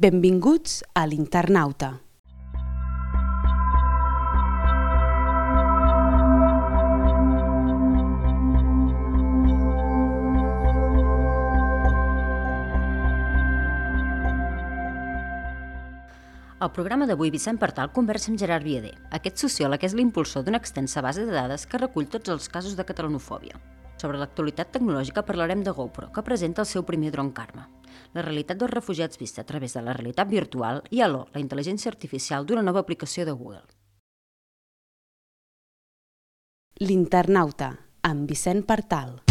Benvinguts a l'Internauta. Al programa d'avui, Vicent Partal conversa amb Gerard Vieder. Aquest sociòleg és l'impulsor d'una extensa base de dades que recull tots els casos de catalanofòbia. Sobre l'actualitat tecnològica parlarem de GoPro, que presenta el seu primer dron Karma. La realitat dels refugiats vista a través de la realitat virtual i Allo, la intel·ligència artificial d'una nova aplicació de Google. L'Internauta, amb Vicent Partal.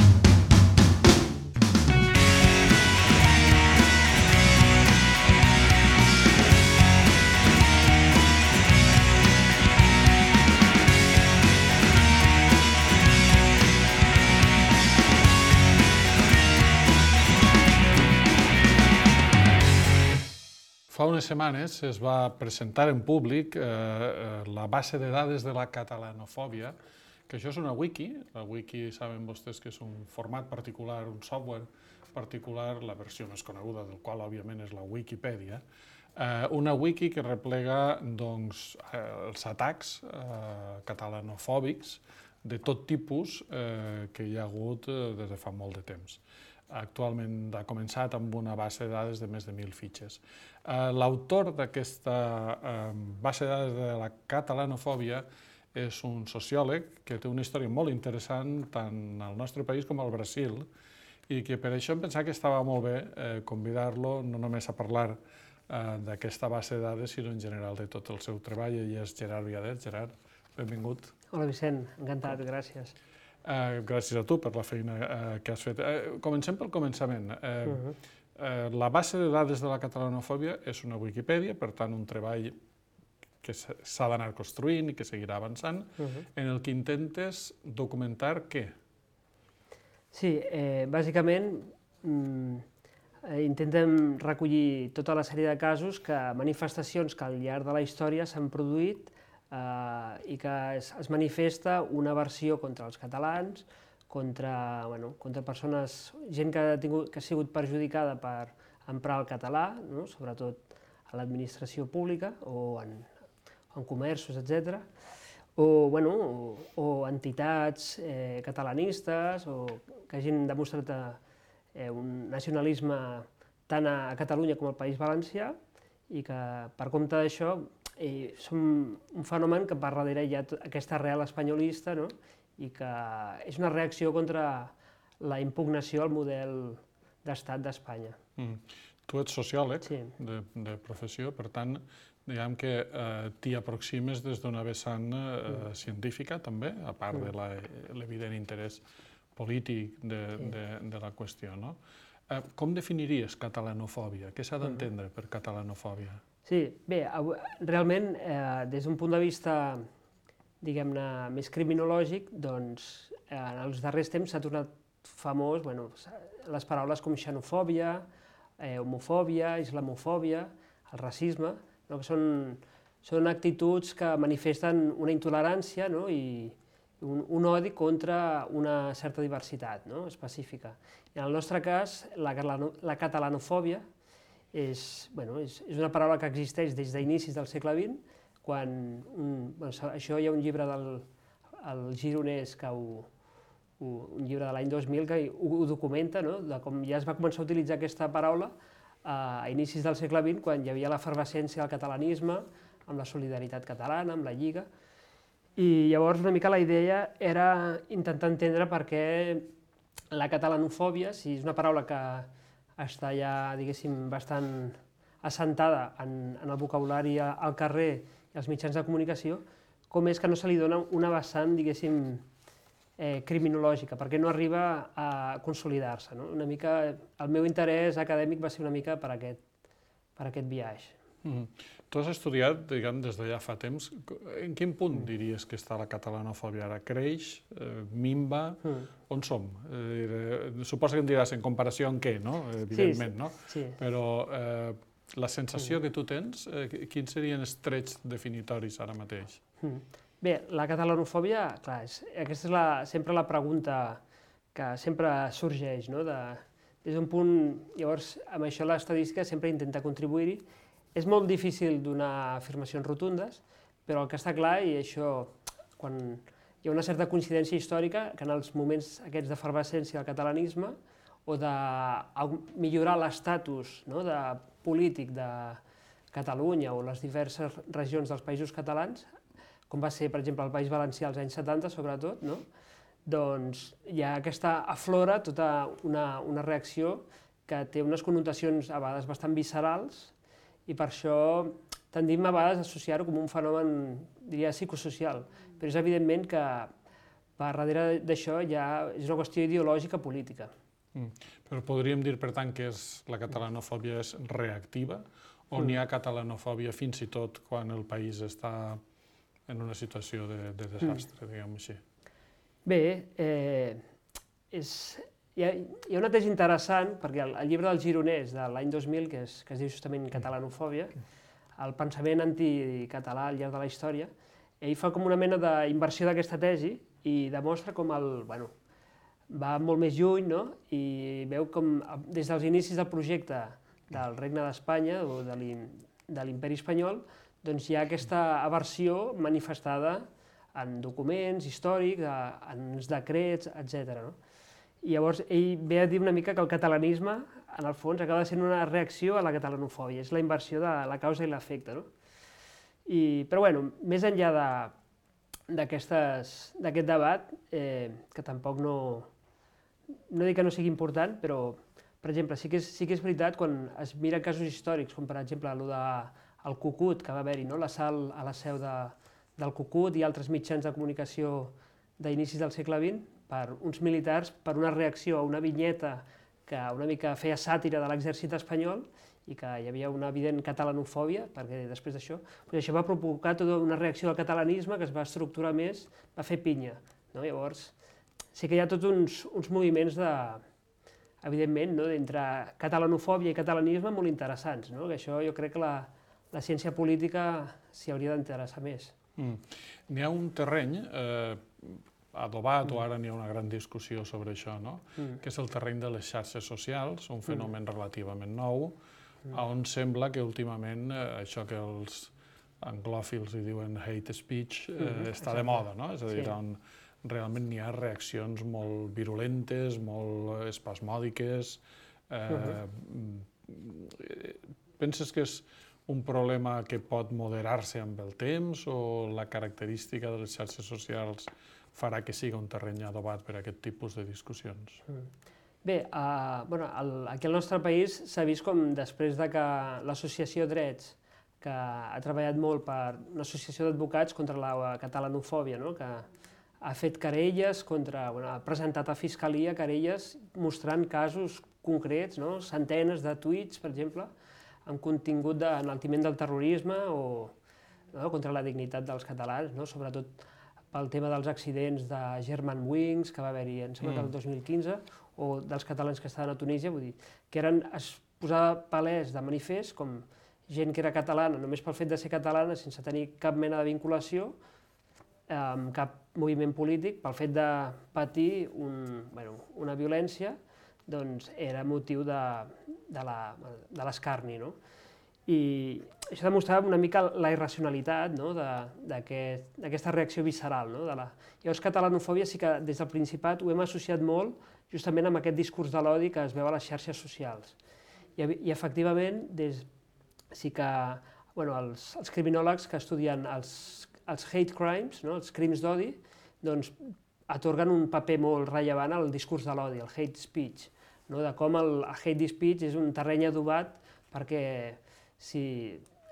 Fa unes setmanes es va presentar en públic la base de dades de la catalanofòbia, que això és una wiki. La wiki saben vostès que és un format particular, un software particular, la versió més coneguda del qual òbviament és la Wikipedia. Una wiki que replega els atacs catalanofòbics de tot tipus que hi ha hagut des de fa molt de temps. Actualment ha començat amb una base de dades de més de 1.000 fitxes. L'autor d'aquesta base de dades de la catalanofòbia és un sociòleg que té una història molt interessant tant al nostre país com al Brasil i que per això em pensava que estava molt bé convidar-lo no només a parlar d'aquesta base de dades sinó en general de tot el seu treball, i és Gerard Vieder. Gerard, benvingut. Hola Vicent, encantat, gràcies. Gràcies a tu per la feina que has fet. Comencem pel començament. La base de dades de la catalanofòbia és una Wikipedia, per tant un treball que s'ha d'anar construint i que seguirà avançant, en el que intentes documentar què? Sí, bàsicament intentem recollir tota la sèrie de casos, manifestacions que al llarg de la història s'han produït i que es manifesta una aversió contra els catalans, contra persones, gent que ha sigut perjudicada per emprar el català, sobretot a l'administració pública o en comerços, etc. O entitats catalanistes que hagin demostrat un nacionalisme tant a Catalunya com al País Valencià i que per compte d'això som un fenomen que per darrere hi ha aquesta arrel espanyolista i que és una reacció contra la impugnació al model d'estat d'Espanya. Tu ets sociòleg de professió, per tant, diguem que t'hi aproximes des d'una vessant científica també, a part de l'evident interès polític de la qüestió. Com definiries catalanofòbia? Què s'ha d'entendre per catalanofòbia? Sí, bé, realment, des d'un punt de vista, diguem-ne, més criminològic, doncs, en els darrers temps s'ha tornat famós les paraules com xenofòbia, homofòbia, islamofòbia, el racisme, que són actituds que manifesten una intolerància i un odi contra una certa diversitat específica. En el nostre cas, la catalanofòbia és una paraula que existeix des d'inicis del segle XX, quan això hi ha un llibre del Gironès, un llibre de l'any 2000 que ho documenta, de com ja es va començar a utilitzar aquesta paraula a inicis del segle XX, quan hi havia l'efervescència del catalanisme, amb la solidaritat catalana, amb la Lliga, i llavors una mica la idea era intentar entendre per què la catalanofòbia, si és una paraula que està ja, diguéssim, bastant assentada en el vocabulari al carrer i als mitjans de comunicació, com és que no se li dona una vessant, diguéssim, criminològica, perquè no arriba a consolidar-se. Una mica, el meu interès acadèmic va ser una mica per aquest viatge. Tu has estudiat, diguem, des de ja fa temps. En quin punt diries que està la catalanofòbia ara? Creix? Minva? On som? Suposo que em diràs en comparació amb què, no? Evidentment, no? Però la sensació que tu tens, quins serien els trets definitoris ara mateix? Bé, la catalanofòbia, clar, aquesta és sempre la pregunta que sempre sorgeix, des d'un punt, llavors, amb això l'estadística sempre intenta contribuir-hi. És molt difícil donar afirmacions rotundes, però el que està clar, i això, quan hi ha una certa coincidència històrica, que en els moments aquests d'efervescència del catalanisme, o de millorar l'estatus polític de Catalunya o les diverses regions dels països catalans, com va ser, per exemple, el País Valencià als anys 70, sobretot, doncs hi ha aquesta aflora tota una reacció que té unes connotacions a vegades bastant viscerals i per això tendim a vegades a associar-ho com un fenomen, diria, psicosocial, però és evidentment que per darrere d'això ja és una qüestió ideològica política. Però podríem dir, per tant, que la catalanofòbia és reactiva o n'hi ha catalanofòbia fins i tot quan el país està en una situació de desastre, diguem-ho així? Bé, hi ha una tesi interessant, perquè el llibre del Gironès de l'any 2000, que es diu justament Catalanofòbia, el pensament anticatalà al llarg de la història, ell fa com una mena d'inversió d'aquesta tesi i demostra com va molt més lluny, i veu com des dels inicis del projecte del Regne d'Espanya o de l'Imperi Espanyol, doncs hi ha aquesta aversió manifestada en documents històrics, en els decrets, etc. I llavors ell ve a dir una mica que el catalanisme, en el fons, acaba sent una reacció a la catalanofòbia, és la inversió de la causa i l'efecte. Però bueno, més enllà d'aquest debat, que tampoc no dic que no sigui important, però, per exemple, sí que és veritat quan es miren casos històrics, com per exemple el Cucut, que va haver-hi, l'assalt a la seu del Cucut i altres mitjans de comunicació d'inicis del segle XX, per uns militars, per una reacció a una vinyeta que una mica feia sàtira de l'exèrcit espanyol i que hi havia una evident catalanofòbia, perquè després d'això, això va provocar tota una reacció al catalanisme que es va estructurar més, va fer pinya. Llavors, sí que hi ha tots uns moviments evidentment, entre catalanofòbia i catalanisme molt interessants, que això jo crec que la ciència política s'hi hauria d'interessar més. N'hi ha un terreny adobat, o ara n'hi ha una gran discussió sobre això, que és el terreny de les xarxes socials, un fenomen relativament nou, on sembla que últimament això que els anglòfils hi diuen hate speech està de moda, és a dir, on realment n'hi ha reaccions molt virulentes, molt espasmòdiques. Penses que és un problema que pot moderar-se amb el temps o la característica de les xarxes socials farà que sigui un terreny adobat per a aquest tipus de discussions? Bé, aquí al nostre país s'ha vist com després que l'associació Drets, que ha treballat molt per una associació d'advocats contra la catalanofòbia, que ha fet querelles ha presentat a Fiscalia querelles mostrant casos concrets, centenes de tuits, per exemple, amb contingut d'enaltiment del terrorisme o contra la dignitat dels catalans, sobretot pel tema dels accidents de Germanwings, que va haver-hi, em sembla que el 2015, o dels catalans que estaven a Tunísia, vull dir, que es posava palès de manifest com gent que era catalana només pel fet de ser catalana, sense tenir cap mena de vinculació amb cap moviment polític, pel fet de patir una violència, doncs era motiu de l'escarni. I això demostrava una mica la irracionalitat d'aquesta reacció visceral. Llavors, catalanofòbia sí que des del Principat ho hem associat molt justament amb aquest discurs de l'odi que es veu a les xarxes socials. I efectivament, sí que els criminòlegs que estudien els hate crimes, els crims d'odi, doncs atorguen un paper molt rellevant al discurs de l'odi, el hate speech, de com el hate speech és un terreny adobat perquè si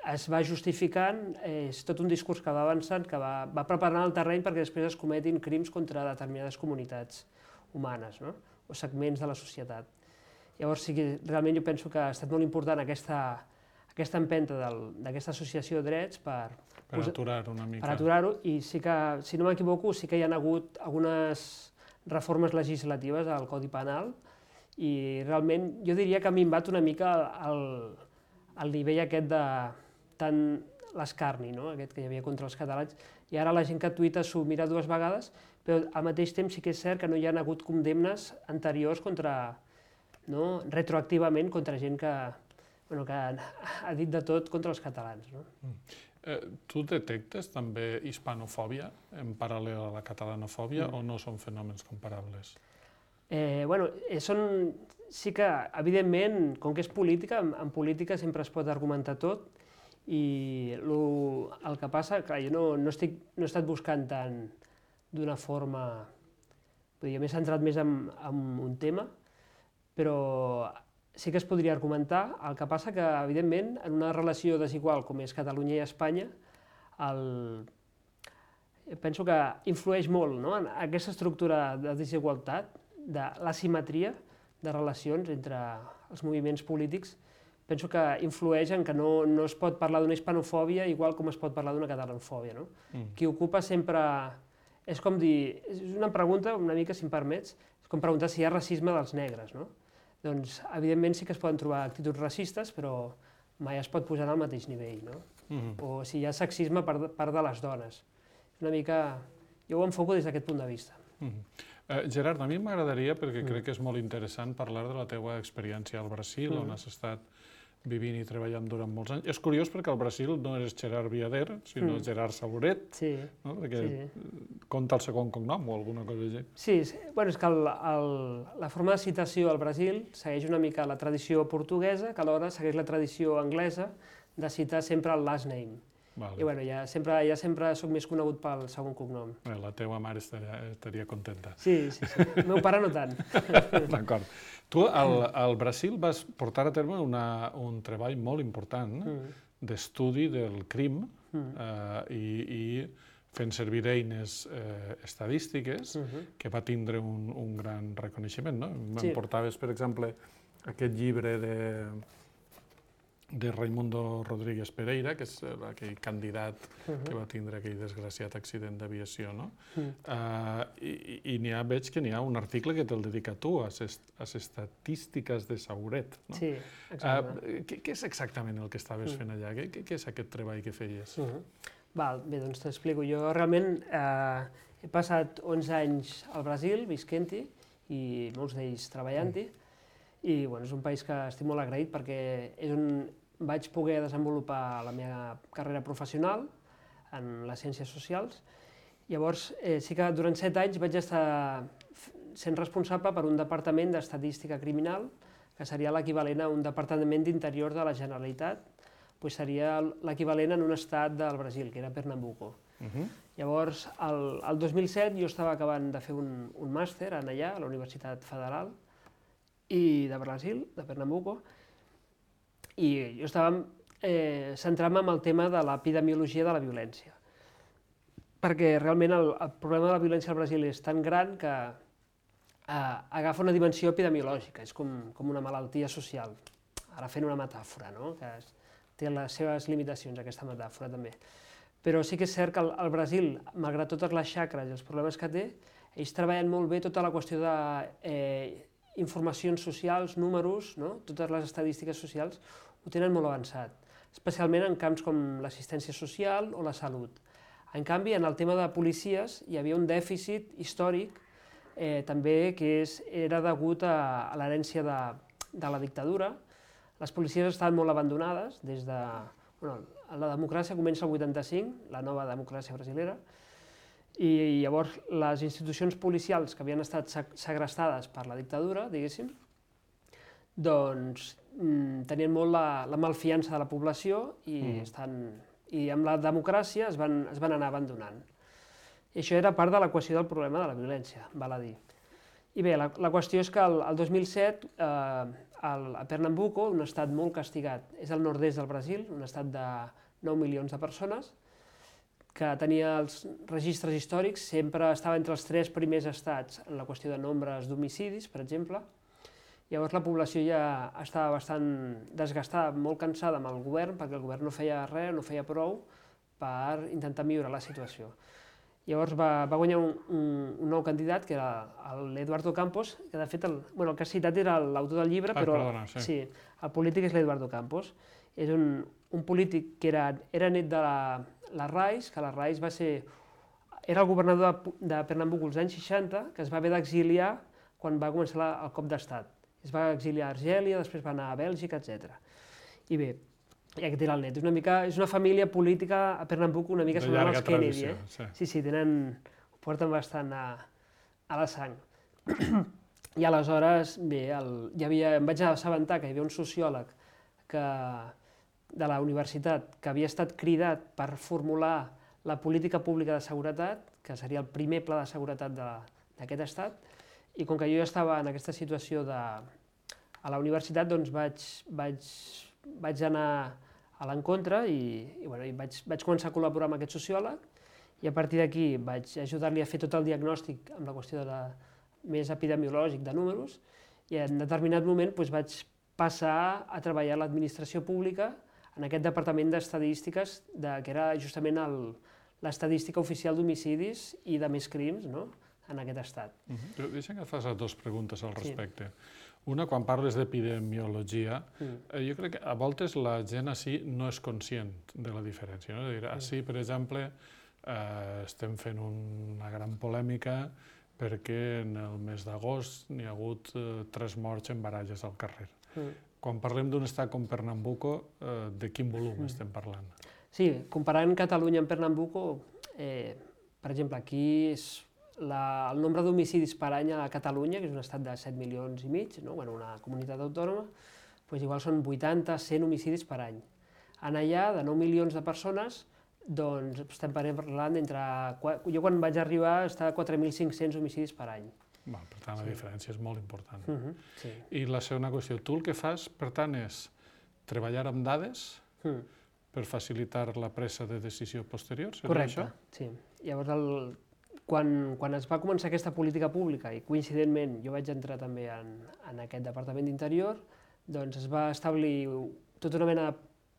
es va justificant, és tot un discurs que va avançant, que va preparant el terreny perquè després es cometin crims contra determinades comunitats humanes o segments de la societat. Llavors sí que realment jo penso que ha estat molt important aquesta empenta d'aquesta associació de drets per aturar-ho una mica. Per aturar-ho, i sí que, si no m'equivoco, sí que hi ha hagut algunes reformes legislatives al Codi Penal i realment jo diria que ha minvat una mica el nivell aquest de tant l'escarni, aquest que hi havia contra els catalans, i ara la gent que tuita s'ho mira dues vegades, però al mateix temps sí que és cert que no hi ha hagut condemnes anteriors contra retroactivament contra gent que ha dit de tot contra els catalans. Tu detectes també hispanofòbia en paral·lel a la catalanofòbia o no són fenòmens comparables? Sí que, evidentment, com que és política, en política sempre es pot argumentar tot, i el que passa, clar, jo no he estat buscant tant d'una forma, m'he centrat més en un tema, però sí que es podria argumentar. El que passa que, evidentment, en una relació desigual com és Catalunya i Espanya, penso que influeix molt en aquesta estructura de desigualtat, de l'asimetria de relacions entre els moviments polítics. Penso que influeix en que no es pot parlar d'una hispanofòbia igual com es pot parlar d'una catalanofòbia. Qui ocupa sempre... És com dir... És una pregunta, una mica, si em permets, és com preguntar si hi ha racisme dels negres. Doncs, evidentment, sí que es poden trobar actituds racistes, però mai es pot posar al mateix nivell. O si hi ha sexisme per part de les dones. Una mica... Jo ho enfoco des d'aquest punt de vista. Gerard, a mi m'agradaria, perquè crec que és molt interessant, parlar de la teua experiència al Brasil, on has estat vivint i treballant durant molts anys. És curiós perquè al Brasil no eres Gerard Viader, sinó Gerard Sauret, perquè compta el segon cognom o alguna cosa així. Sí, és que la forma de citació al Brasil segueix una mica la tradició portuguesa, que alhora segueix la tradició anglesa de citar sempre el last name. I ja sempre soc més conegut pel segon cognom. La teua mare estaria contenta. Sí. El meu pare no tant. D'acord. Tu al Brasil vas portar a terme un treball molt important d'estudi del crim i fent servir eines estadístiques que va tindre un gran reconeixement. Em portaves, per exemple, aquest llibre de Raimundo Rodríguez Pereira, que és aquell candidat que va tindre aquell desgraciat accident d'aviació. I veig que n'hi ha un article que te'l dedica a tu, a les estadístiques de Sauret. Sí, exactament. Què és exactament el que estaves fent allà? Què és aquest treball que feies? Bé, doncs t'explico. Jo realment he passat 11 anys al Brasil visquent-hi i molts d'ells treballant-hi. I és un país que estic molt agraït perquè és on vaig poder desenvolupar la meva carrera professional en les ciències socials. Llavors, sí que durant 7 anys vaig estar sent responsable per un departament d'estadística criminal, que seria l'equivalent a un departament d'interior de la Generalitat, seria l'equivalent en un estat del Brasil, que era Pernambuco. Llavors, el 2007 jo estava acabant de fer un màster allà, a la Universitat Federal de Brasil, de Pernambuco, i jo estava centrant-me en el tema de l'epidemiologia de la violència. Perquè realment el problema de la violència al Brasil és tan gran que agafa una dimensió epidemiològica, és com una malaltia social. Ara fent una metàfora, que té les seves limitacions, aquesta metàfora també. Però sí que és cert que al Brasil, malgrat totes les xacres i els problemes que té, ells treballen molt bé tota la qüestió d'informacions socials, números, totes les estadístiques socials ho tenen molt avançat, especialment en camps com l'assistència social o la salut. En canvi, en el tema de policies hi havia un dèficit històric també que era degut a l'herència de la dictadura. Les policies estaven molt abandonades des de... La democràcia comença el 85, la nova democràcia brasilera, i llavors les institucions policials que havien estat segrestades per la dictadura, diguéssim, doncs tenien molt la malfiança de la població i amb la democràcia es van anar abandonant. I això era part de l'equació del problema de la violència, val a dir. I bé, la qüestió és que el 2007 a Pernambuco, un estat molt castigat, és el nord-est del Brasil, un estat de 9 milions de persones, que tenia els registres històrics, sempre estava entre els 3 primers estats en la qüestió de nombres d'homicidis, per exemple. Llavors la població ja estava bastant desgastada, molt cansada amb el govern, perquè el govern no feia res, no feia prou per intentar millorar la situació. Llavors va guanyar un nou candidat, que era l'Eduardo Campos, que de fet el que has citat era l'autor del llibre, però sí, el polític és l'Eduardo Campos. És un polític que era net de la Rais, que la Rais era el governador de Pernambuco als anys 60, que es va haver d'exiliar quan va començar el cop d'estat. Es va exiliar a Argèlia, després va anar a Bèlgica, etc. I bé, i aquest era el net. És una família política a Pernambuco una mica semblant als Kennedy. Sí, ho porten bastant a la sang. I aleshores, bé, em vaig assabentar que hi havia un sociòleg de la universitat que havia estat cridat per formular la política pública de seguretat, que seria el primer pla de seguretat d'aquest estat, i com que jo ja estava en aquesta situació a la universitat, doncs vaig anar a l'encontre i vaig començar a col·laborar amb aquest sociòleg, i a partir d'aquí vaig ajudar-li a fer tot el diagnòstic amb la qüestió més epidemiològic de números, i en determinat moment vaig passar a treballar a l'administració pública en aquest departament d'estadístiques, que era justament l'estadística oficial d'homicidis i de més crims en aquest estat. Deixa'm que et faci dues preguntes al respecte. Una, quan parles d'epidemiologia, jo crec que a voltes la gent així no és conscient de la diferència. És a dir, així, per exemple, estem fent una gran polèmica perquè en el mes d'agost n'hi ha hagut 3 morts en baralles al carrer. Quan parlem d'un estat com Pernambuco, de quin volum estem parlant? Sí, comparant Catalunya amb Pernambuco, per exemple, aquí el nombre d'homicidis per any a Catalunya, que és un estat de 7 milions i mig, una comunitat autònoma, igual són 80-100 homicidis per any. En allà, de 9 milions de persones, doncs estem parlant d'entre... Jo quan vaig arribar estava a 4.500 homicidis per any. Per tant, la diferència és molt important. I la segona qüestió, tu el que fas, per tant, és treballar amb dades per facilitar la presa de decisió posterior? Correcte, sí. Llavors, quan es va començar aquesta política pública, i coincidentment jo vaig entrar també en aquest Departament d'Interior, doncs es va establir tota una mena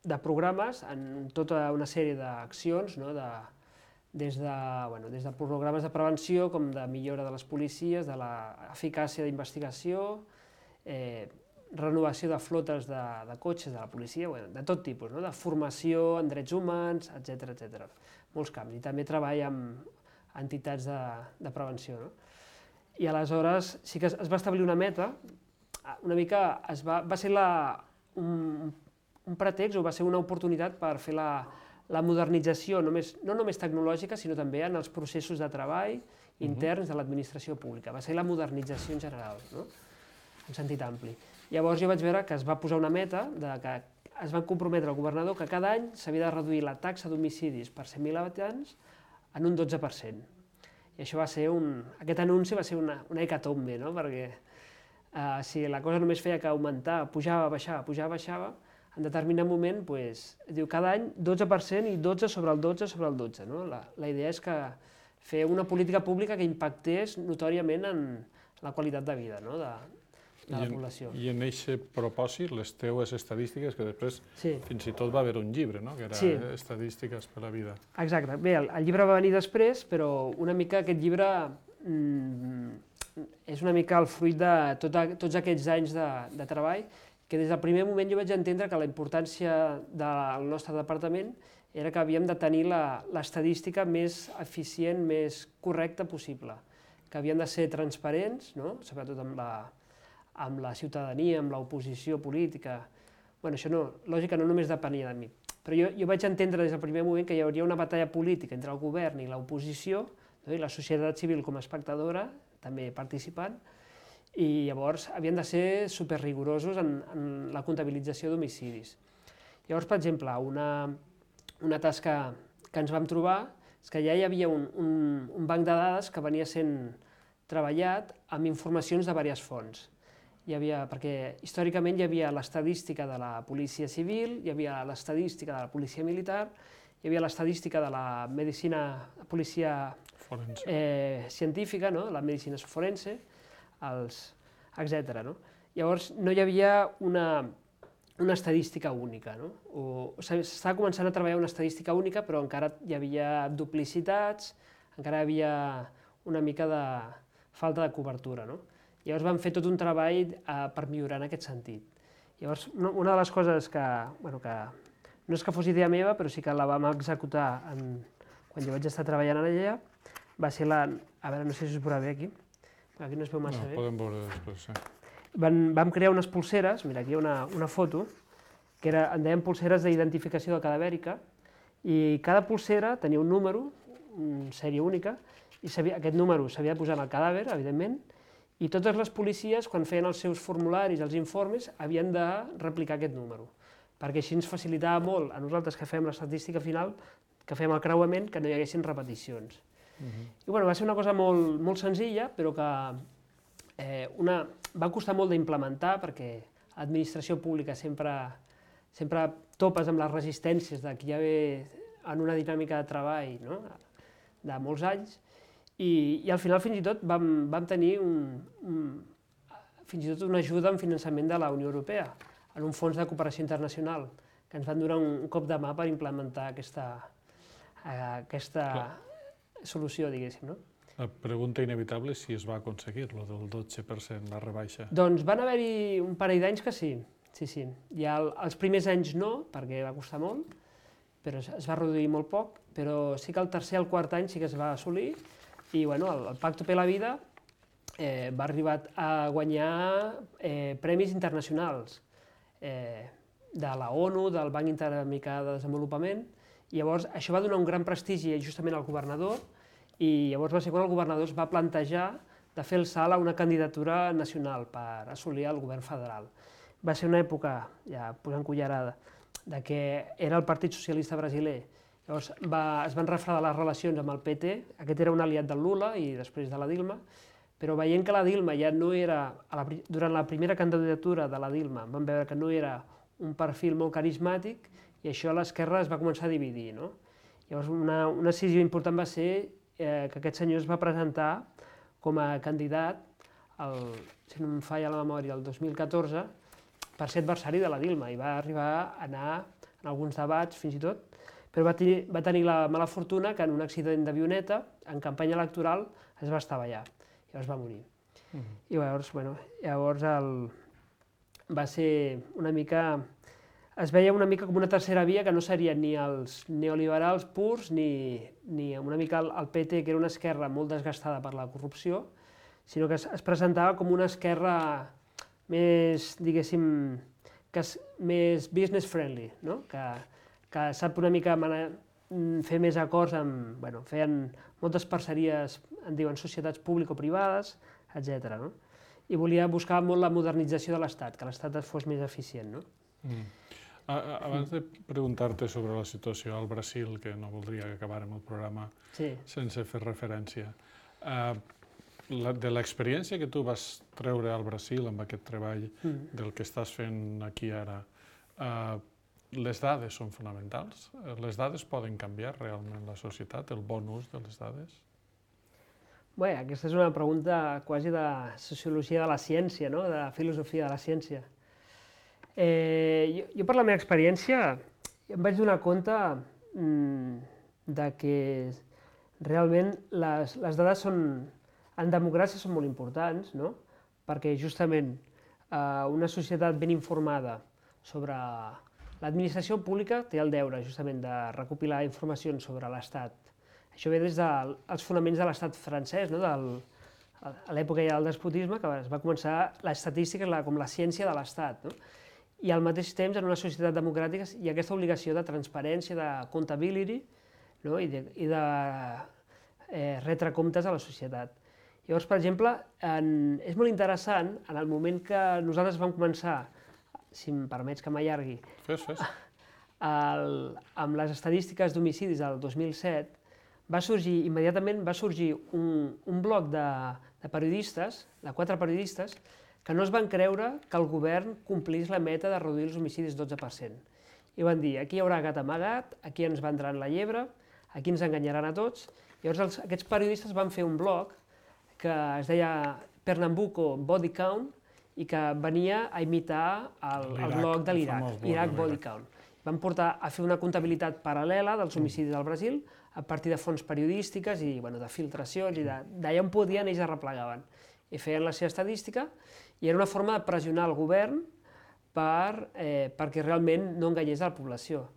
de programes en tota una sèrie d'accions, des de programes de prevenció com de millora de les policies, de l'eficàcia d'investigació, renovació de flotes de cotxes de la policia, de tot tipus, de formació en drets humans, etc. Molts camps. I també treball amb entitats de prevenció. I aleshores sí que es va establir una meta, una mica va ser un pretext o va ser una oportunitat per fer la modernització, no només tecnològica, sinó també en els processos de treball interns de l'administració pública. Va ser la modernització en general, en sentit ampli. Llavors jo vaig veure que es va posar una meta, que es van comprometre al governador que cada any s'havia de reduir la taxa d'homicidis per 100.000 habitants en un 12%. I això aquest anunci va ser una hecatombe, perquè si la cosa només feia que augmentar, pujava, baixava, en determinat moment, diu cada any 12% i 12 sobre el 12 sobre el 12. La idea és fer una política pública que impactés notòriament en la qualitat de vida de la població. I en aquest propòsit, les teues estadístiques, que després fins i tot va haver un llibre, que era Estadístiques per la vida. Exacte. Bé, el llibre va venir després, però una mica aquest llibre és una mica el fruit de tots aquests anys de treball, que des del primer moment jo vaig entendre que la importància del nostre departament era que havíem de tenir l'estadística més eficient, més correcta possible, que havien de ser transparents, sobretot amb la ciutadania, amb l'oposició política. Això lògica no només depenia de mi, però jo vaig entendre des del primer moment que hi hauria una batalla política entre el govern i l'oposició, i la societat civil com a espectadora, també participant, i llavors havien de ser superrigorosos en la comptabilització d'homicidis. Llavors, per exemple, una tasca que ens vam trobar és que ja hi havia un banc de dades que venia sent treballat amb informacions de diverses fonts. Perquè històricament hi havia l'estadística de la policia civil, hi havia l'estadística de la policia militar, hi havia l'estadística de la policia científica, la medicina forense, etc. Llavors no hi havia una estadística única. S'estava començant a treballar una estadística única, però encara hi havia duplicitats, encara hi havia una mica de falta de cobertura. Llavors vam fer tot un treball per millorar en aquest sentit. Llavors, una de les coses que no és que fos idea meva, però sí que la vam executar quan jo vaig estar treballant allà, va ser a veure, no sé si us veurà bé aquí. Aquí no es veu massa bé. Podem veure després, sí. vam crear unes pulseres, mira, aquí hi ha una foto, que en deien pulseres d'identificació cadavèrica, i cada pulsera tenia un número, una sèrie única, i aquest número s'havia de posar en el cadàver, evidentment, i totes les policies, quan feien els seus formularis, els informes, havien de replicar aquest número, perquè així ens facilitava molt a nosaltres que fem l'estadística final, que fem el creuament, que no hi haguessin repeticions. I va ser una cosa molt senzilla, però que va costar molt d'implementar, perquè l'administració pública sempre topes amb les resistències de qui ja ve en una dinàmica de treball de molts anys, i al final fins i tot vam tenir fins i tot una ajuda en finançament de la Unió Europea, en un fons de cooperació internacional, que ens van donar un cop de mà per implementar aquesta solució, diguéssim. La pregunta inevitable és si es va aconseguir, lo del 12%, la rebaixa. Doncs van haver-hi un parell d'anys que sí. Ja els primers anys no, perquè va costar molt, però es va reduir molt poc, però sí que el tercer i el quart any sí que es va assolir, i el Pacto per la Vida va arribar a guanyar premis internacionals de la ONU, del Banc Interamericà de Desenvolupament, i llavors això va donar un gran prestigi justament al governador, i llavors va ser quan el governador es va plantejar de fer el salt a una candidatura nacional per assolir el govern federal. Va ser una època, ja posant cullerada, que era el Partit Socialista Brasiler. Llavors es van refredar les relacions amb el PT, aquest era un aliat del Lula i després de la Dilma, però veient que la Dilma ja no era, durant la primera candidatura de la Dilma, vam veure que no era un perfil molt carismàtic i això a l'esquerra es va començar a dividir. Llavors una decisió important va ser que aquest senyor es va presentar com a candidat, si no em falla la memòria, el 2014, per ser adversari de la Dilma, i va arribar a anar en alguns debats fins i tot, però va tenir la mala fortuna que en un accident d'avioneta, en campanya electoral, es va estavellar, i llavors va morir. I llavors va ser una mica... Es veia una mica com una tercera via que no serien ni els neoliberals purs ni una mica el PT, que era una esquerra molt desgastada per la corrupció, sinó que es presentava com una esquerra més, diguéssim, més business friendly, que sap una mica fer més acords amb... Feien moltes parceries, en diuen societats público-privades, etc. I volia buscar molt la modernització de l'Estat, que l'Estat fos més eficient. Abans de preguntar-te sobre la situació al Brasil, que no voldria que acabàrem el programa sense fer referència, de l'experiència que tu vas treure al Brasil amb aquest treball del que estàs fent aquí ara, les dades són fonamentals? Les dades poden canviar realment la societat, el bon ús de les dades? Bé, aquesta és una pregunta quasi de sociologia de la ciència, de filosofia de la ciència. Jo, per la meva experiència, em vaig donar compte que realment les dades en democràcia són molt importants, perquè justament una societat ben informada sobre l'administració pública té el deure justament de recopilar informacions sobre l'Estat. Això ve des dels fonaments de l'Estat francès, a l'època ja del despotisme, que es va començar l'estadística com la ciència de l'Estat. I al mateix temps, en una societat democràtica, hi ha aquesta obligació de transparència, de comptability i de retre comptes a la societat. Llavors, per exemple, és molt interessant, en el moment que nosaltres vam començar, si em permets que m'allargui, amb les estadístiques d'homicidis del 2007, immediatament va sorgir un bloc de periodistes, de 4 periodistes, que no es van creure que el govern complís la meta de reduir els homicidis 12%. I van dir, aquí hi haurà gat amagat, aquí ens vendran la llebre, aquí ens enganyaran a tots. Llavors aquests periodistes van fer un blog que es deia Pernambuco Body Count i que venia a imitar el blog de l'Iraq, Iraq Body Count. Van portar a fer una comptabilitat paral·lela dels homicidis al Brasil a partir de fonts periodístiques i de filtracions, i d'allà on podien ells arreplegaven. I feien la seva estadística, i era una forma de pressionar el govern perquè realment no enganyés a la població.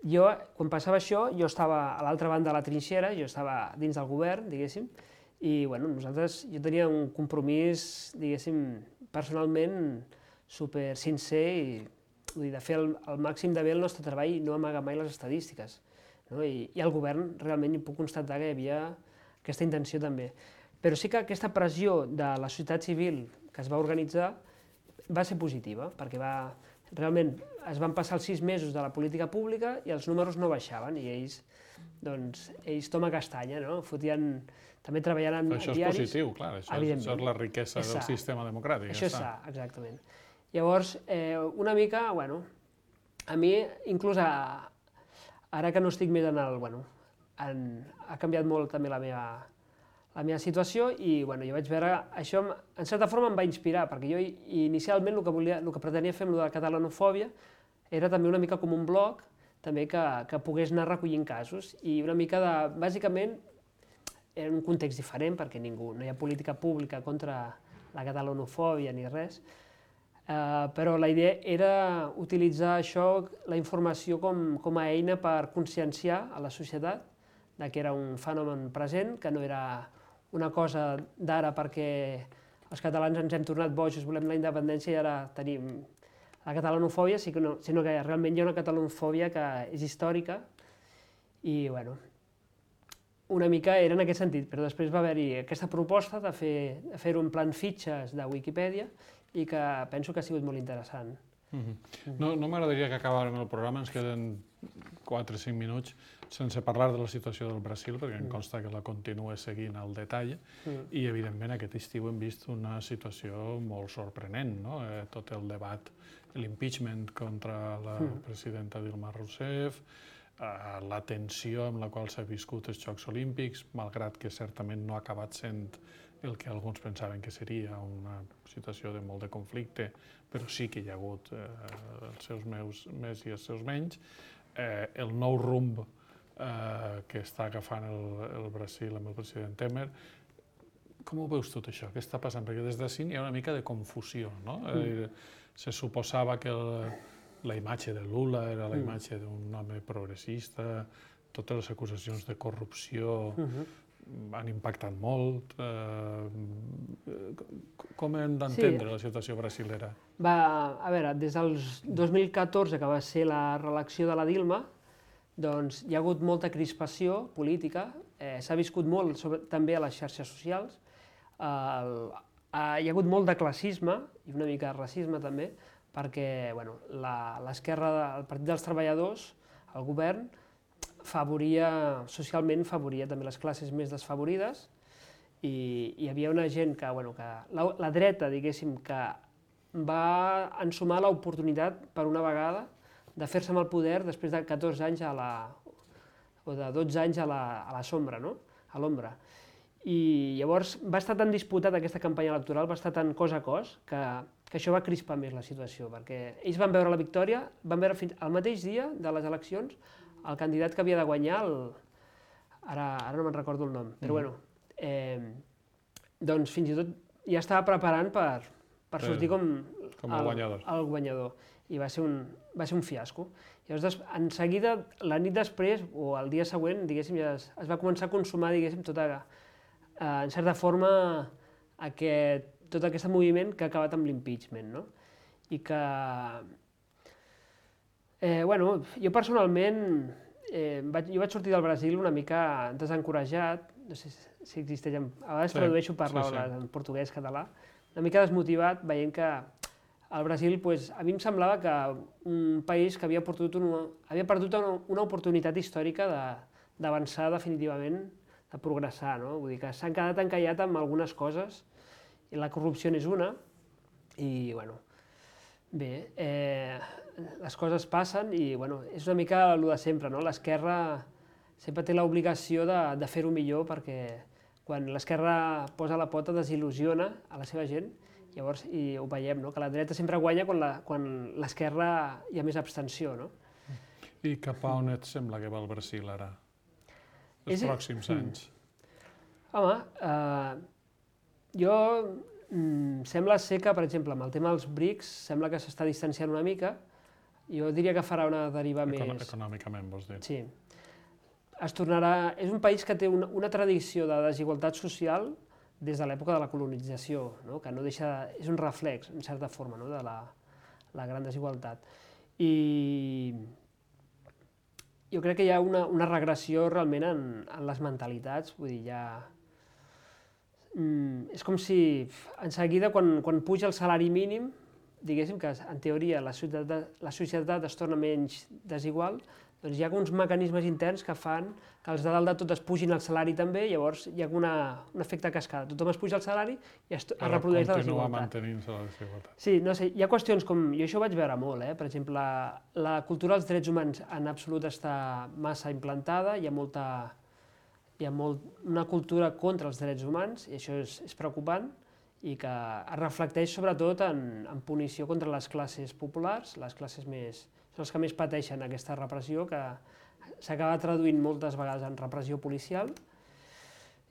Jo, quan passava això, jo estava a l'altra banda de la trinxera, jo estava dins del govern, diguéssim, i jo tenia un compromís, diguéssim, personalment super sincer i vull dir, de fer el màxim de bé el nostre treball i no amagar mai les estadístiques. No? I el govern realment hi puc constatar que hi havia aquesta intenció també. Però sí que aquesta pressió de la societat civil que es va organitzar va ser positiva, perquè realment es van passar els 6 mesos de la política pública i els números no baixaven i ells toma castanya, no? Fotien, també treballant en diaris. Això és positiu, clar, això és la riquesa del sistema democràtic. Això és sa, exactament. Llavors, una mica, bueno, a mi, inclús ara que no estic més en el, bueno, ha canviat molt també la meva situació i bueno, jo vaig veure, això en certa forma em va inspirar, perquè jo inicialment el que pretenia fer amb la catalanofòbia era també una mica com un blog, també que pogués anar recollint casos i una mica bàsicament, era un context diferent perquè no hi ha política pública contra la catalanofòbia ni res, però la idea era utilitzar això, la informació com a eina per conscienciar a la societat que era un fenomen present, que no era una cosa d'ara perquè els catalans ens hem tornat bojos, volem la independència i ara tenim la catalanofòbia, sinó que realment hi ha una catalanofòbia que és històrica i, bueno, una mica era en aquest sentit, però després va haver-hi aquesta proposta de fer-ho en plan fitxes de Wikipedia i que penso que ha sigut molt interessant. No m'agradaria que acabàrem el programa, ens queden 4 o 5 minuts sense parlar de la situació del Brasil, perquè em consta que la continua seguint al detall, i evidentment aquest estiu hem vist una situació molt sorprenent, no? Tot el debat, l'impeachment contra la presidenta Dilma Rousseff, la tensió amb la qual s'ha viscut els Jocs Olímpics, malgrat que certament no ha acabat sent el que alguns pensaven que seria una situació de molt de conflicte, però sí que hi ha hagut els seus més i els seus menys. El nou rumb que està agafant el Brasil amb el president Temer. Com ho veus tot això? Què està passant? Perquè des d'ací hi ha una mica de confusió, no? Se suposava que la imatge de Lula era la imatge d'un home progressista, totes les acusacions de corrupció han impactat molt. Com hem d'entendre la situació brasilera? A veure, des del 2014, que va ser la reelecció de la Dilma, doncs hi ha hagut molta crispació política, s'ha viscut molt també a les xarxes socials, hi ha hagut molt de classisme i una mica de racisme també, perquè l'esquerra, el Partit dels Treballadors, el govern, socialment favoria també les classes més desfavorides i hi havia una gent que la dreta, diguéssim, que va ensumar l'oportunitat per una vegada de fer-se amb el poder després de 14 anys o de 12 anys a la sombra, no? A l'ombra. I llavors va estar tan disputada aquesta campanya electoral, va estar tan cos a cos, que això va crispar més la situació, perquè ells van veure la victòria, van veure fins al mateix dia de les eleccions el candidat que havia de guanyar, ara no me'n recordo el nom, però bueno, doncs fins i tot ja estava preparant per sortir com el guanyador. I va ser un fiasco. Llavors, en seguida, la nit després, o el dia següent, diguéssim, ja es va començar a consumar, diguéssim, en certa forma, tot aquest moviment que ha acabat amb l'impeachment, no? I que, jo personalment, jo vaig sortir del Brasil una mica desencoratjat, no sé si existeix, a vegades tradueixo paraules en portuguès, català, una mica desmotivat, veient que al Brasil, a mi em semblava que un país que havia perdut una oportunitat històrica d'avançar definitivament, de progressar, no? Vull dir que s'han quedat encallats amb algunes coses, i la corrupció n'és una, i, bé, les coses passen i, és una mica el de sempre, no? L'esquerra sempre té l'obligació de fer-ho millor perquè quan l'esquerra posa la pota desil·lusiona a la seva gent. Llavors, i ho veiem, que la dreta sempre guanya quan l'esquerra hi ha més abstenció, no? I cap a on et sembla que va el Brasil ara, els pròxims anys? Home, jo sembla ser que, per exemple, amb el tema dels BRICS, sembla que s'està distanciant una mica. Jo diria que farà una deriva més... Econòmicament, vols dir? Sí. Es tornarà... És un país que té una tradició de desigualtat social des de l'època de la colonització, no? Que no deixa, és un reflex, en certa forma, no? De la gran desigualtat. I jo crec que hi ha una regressió realment en les mentalitats, vull dir, és com si en seguida, quan puja el salari mínim, diguéssim que en teoria la societat es torna menys desigual, doncs hi ha uns mecanismes interns que fan que els de dalt de tot es pugin el salari també, llavors hi ha un efecte cascada. Tothom es puja el salari i es reprodueix la desigualtat. Continua mantenint-se la desigualtat. Sí, no sé, hi ha qüestions com... Jo això ho vaig veure molt, per exemple, la cultura dels drets humans en absolut està massa implantada, hi ha una cultura contra els drets humans, i això és preocupant, i que es reflecteix sobretot en punició contra les classes populars, les classes més... són els que més pateixen aquesta repressió, que s'acaba traduint moltes vegades en repressió policial.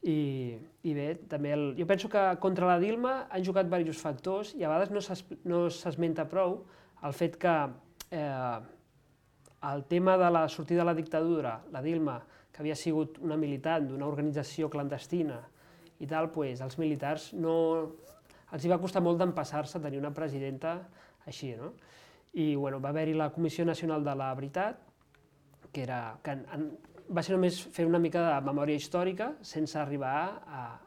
I bé, també jo penso que contra la Dilma han jugat diversos factors i a vegades no s'esmenta prou el fet que el tema de la sortida de la dictadura, la Dilma, que havia sigut una militant d'una organització clandestina i tal, doncs als militars els va costar molt d'empassar-se a tenir una presidenta així, no? I va haver-hi la Comissió Nacional de la Veritat, que va ser només fer una mica de memòria històrica sense arribar a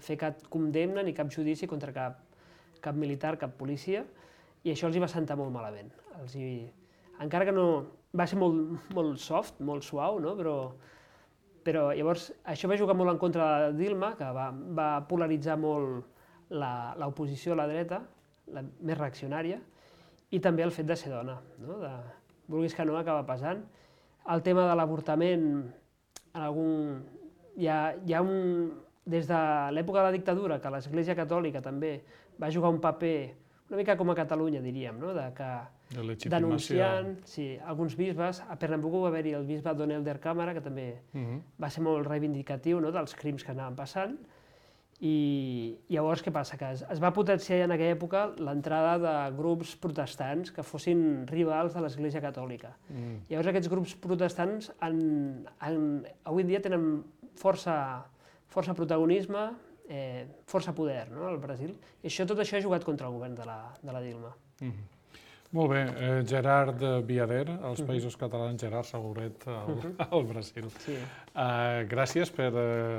fer cap condemna ni cap judici contra cap militar, cap policia, i això els hi va sentar molt malament. Encara que no... va ser molt soft, molt suau, no? Però llavors això va jugar molt en contra de Dilma, que va polaritzar molt l'oposició a la dreta, la més reaccionària, i també el fet de ser dona, no? Vulguis que no, acaba pesant. El tema de l'avortament, des de l'època de la dictadura, que l'Església Catòlica també va jugar un paper, una mica com a Catalunya, diríem, no? Denunciant alguns bisbes. A Pernambuco va haver-hi el bisbe Don Elder Cámara, que també va ser molt reivindicatiu dels crims que anaven passant. I llavors què passa? Que es va potenciar en aquella època l'entrada de grups protestants que fossin rivals de l'Església Catòlica. Llavors aquests grups protestants avui en dia tenen força protagonisme, força poder al Brasil, i tot això ha jugat contra el govern de la Dilma. Molt bé. Gerard Viader, als Països Catalans, Gerard Seguret, al Brasil. Gràcies per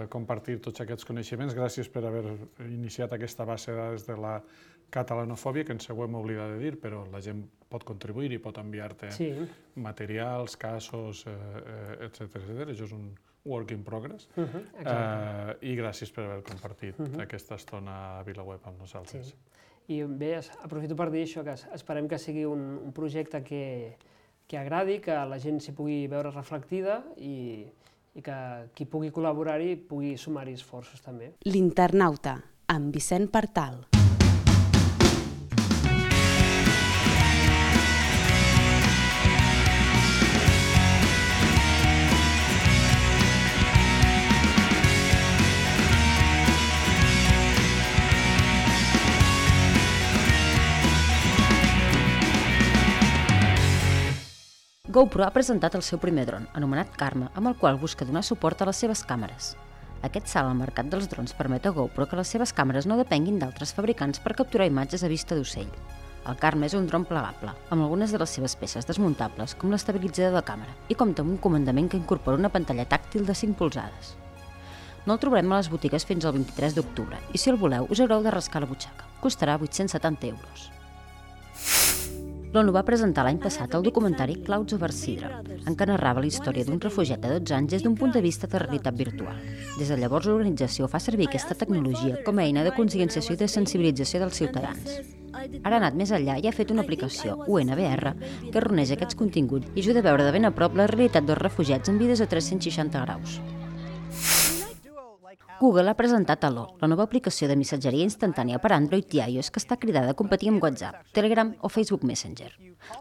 compartir tots aquests coneixements, gràcies per haver iniciat aquesta base de dades de la catalanofòbia, que ens ho hem oblidat de dir, però la gent pot contribuir i pot enviar-te materials, casos, etc. Això és un work in progress. I gràcies per haver compartit aquesta estona a VilaWeb amb nosaltres. I bé, aprofito per dir això, que esperem que sigui un projecte que agradi, que la gent s'hi pugui veure reflectida i que qui pugui col·laborar-hi pugui sumar-hi esforços també. L'Internauta, amb Vicent Partal. GoPro ha presentat el seu primer dron, anomenat Karma, amb el qual busca donar suport a les seves càmeres. Aquest salt al mercat dels drons permet a GoPro que les seves càmeres no depenguin d'altres fabricants per capturar imatges a vista d'ocell. El Karma és un dron plegable, amb algunes de les seves peces desmuntables, com l'estabilitzador de càmera, i compta amb un comandament que incorpora una pantalla tàctil de 5 polzades. No el trobarem a les botigues fins al 23 d'octubre, i si el voleu us haureu de rascar la butxaca. Costarà 870 euros. L'ONU va presentar l'any passat el documentari Clouds over Sidra, en què narrava la història d'un refugiat de 12 anys des d'un punt de vista de realitat virtual. Des de llavors l'organització fa servir aquesta tecnologia com a eina de conscienciació i de sensibilització dels ciutadans. Ara ha anat més enllà i ha fet una aplicació, UNVR, que reuneix aquests continguts i ajuda a veure de ben a prop la realitat dels refugiats en vides a 360 graus. Google ha presentat Allo, la nova aplicació de missatgeria instantània per Android i iOS que està cridada a competir amb WhatsApp, Telegram o Facebook Messenger.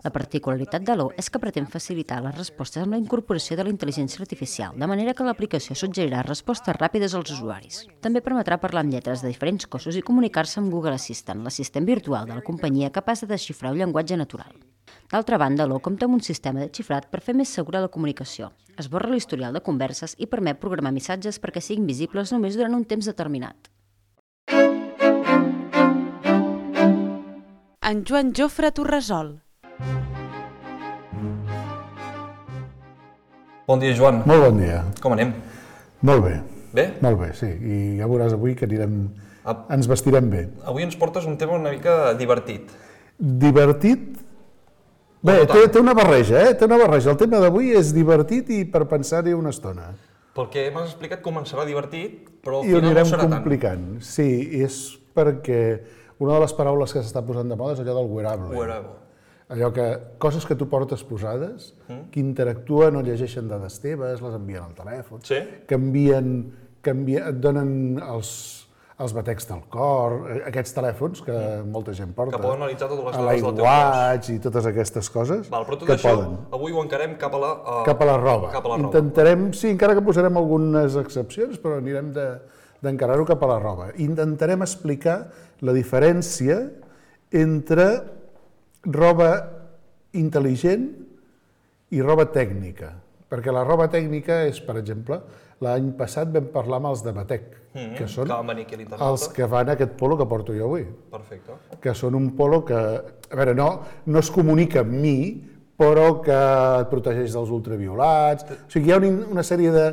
La particularitat d'Allo és que pretén facilitar les respostes amb la incorporació de la intel·ligència artificial, de manera que l'aplicació suggerirà respostes ràpides als usuaris. També permetrà parlar amb lletres de diferents cossos i comunicar-se amb Google Assistant, l'assistent virtual de la companyia capaç de desxifrar un llenguatge natural. D'altra banda, Allo compta amb un sistema de xifrat per fer més segura la comunicació. Esborra l'historial de converses i permet programar missatges perquè siguin visibles només durant un temps determinat. en Joan Jofre Torresol. Bon dia, Joan. Molt bon dia. Com anem? Molt bé. Bé? Molt bé, sí. I ja veuràs avui que ens vestirem bé. Avui ens portes un tema una mica divertit. Divertit? Bé, té una barreja, Té una barreja. El tema d'avui és divertit i per pensar-hi una estona. Pel que m'has explicat començarà divertit, però al I ho final no anirem serà tant. complicant. Sí, és perquè una de les paraules que s'està posant de moda és allò del wearable. Wearable. Allò que, coses que tu portes posades, que interactuen o llegeixen dades teves, les envien al telèfon, Sí. et donen els batecs del cor, aquests telèfons que molta gent porta. Que poden analitzar totes les a dades del teu l'iWatch i totes aquestes coses Val, però tot que això poden. avui ho encarem cap a la roba. Cap a la roba. Intentarem, sí, encara que posarem algunes excepcions, però anirem d'encarar-ho cap a la roba. Intentarem explicar la diferència entre roba intel·ligent i roba tècnica. Perquè la roba tècnica és, per exemple, l'any passat vam parlar amb els de Batec, que són que van venir aquí a l'internauta. els que van a aquest polo que porto jo avui. Perfecte. Que són un polo que, a veure, no es comunica amb mi, però que et protegeix dels ultraviolats. O sigui, hi ha una sèrie de